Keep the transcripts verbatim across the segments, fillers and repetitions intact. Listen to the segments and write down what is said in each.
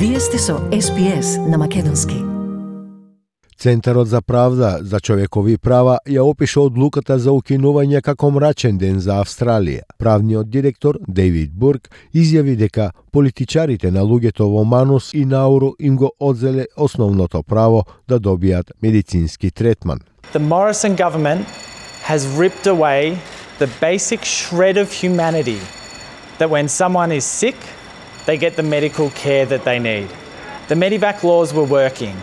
Вие сте со Ес Би Ес на македонски. Центарот за правда за човекови права ја опиша одлуката за укинување како мрачен ден за Австралија. Правниот директор Дейвид Бурк изјави дека политичарите на луѓето во Манус и Науру им го одзеле основното право да добијат медицински третман. The Morrison government has ripped away the basic shred of humanity that when someone is sick, they get the medical care that they need. The Medivac laws were working.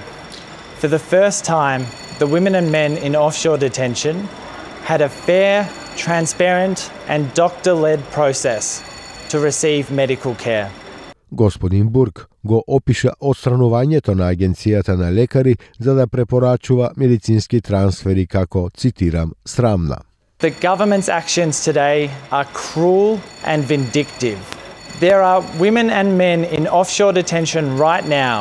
For the first time, the women and men in offshore detention had a fair, transparent and doctor-led process to receive medical care. Господин Бурк го опиша отстранувањето на агенцијата на лекари за да препорачува медицински трансфери како, цитирам, срамна. The government's actions today are cruel and vindictive. There are women and men in offshore detention right now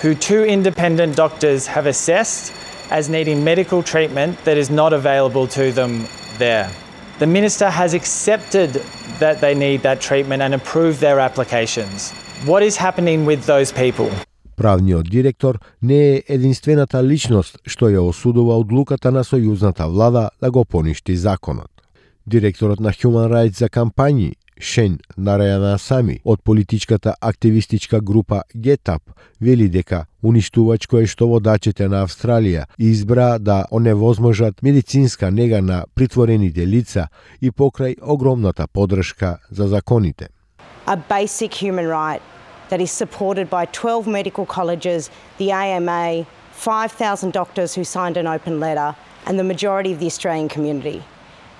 who two independent doctors have assessed as needing medical treatment that is not available to them there. The Minister has accepted that they need that treatment and approved their applications. What is happening with those people? Правниот директор не е единствената личност што ја осудува одлуката на сојузната влада да го поништи законот. Директорот на Human Rights за кампањи Шен Нарајанасами од политичката активистичка група Get Up вели дека уништувачко е што водачите на Австралија избра да оневозможат медицинска нега на притворените лица и покрај огромната поддршка за законите. A basic human right that is supported by twelve medical colleges, the A M A, five thousand doctors who signed an open letter, and the majority of the Australian community.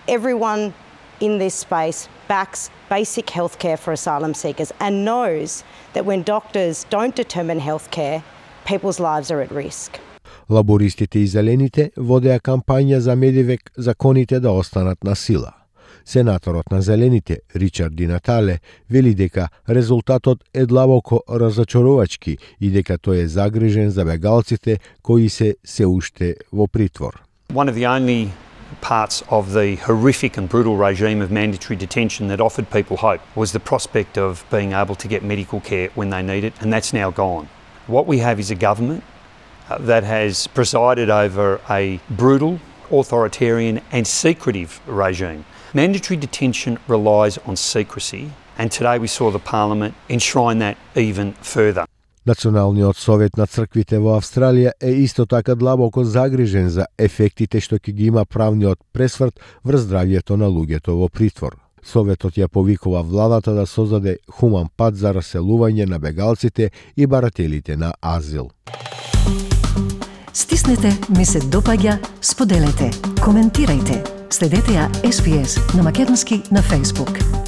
Everyone in this space backs basic healthcare for asylum seekers and knows that when doctors don't determine healthcare, people's lives are at risk. Лабористите и зелените водеа кампања за Медивек законите да останат на сила. Сенаторот на Зелените, Ричард Ди Натале, вели дека резултатот е длабоко разочарувачки и дека тој е загрижен за бегалците кои се се уште во притвор. One of the only parts of the horrific and brutal regime of mandatory detention that offered people hope was the prospect of being able to get medical care when they need it, and that's now gone. What we have is a government uh, that has presided over a brutal, authoritarian and secretive regime. Mandatory detention relies on secrecy, and today we saw the Parliament enshrine that even further. Националниот совет на црквите во Австралија е исто така длабоко загрижен за ефектите што ќе ги има правниот пресврт врз здравјето на луѓето во притвор. Советот ја повикува владата да создаде хуман пат за раселување на бегалците и барателите на азил. Стиснете, ми се допаѓа, споделете, коментирајте. Следете ја Ес Би Ес на македонски на Facebook.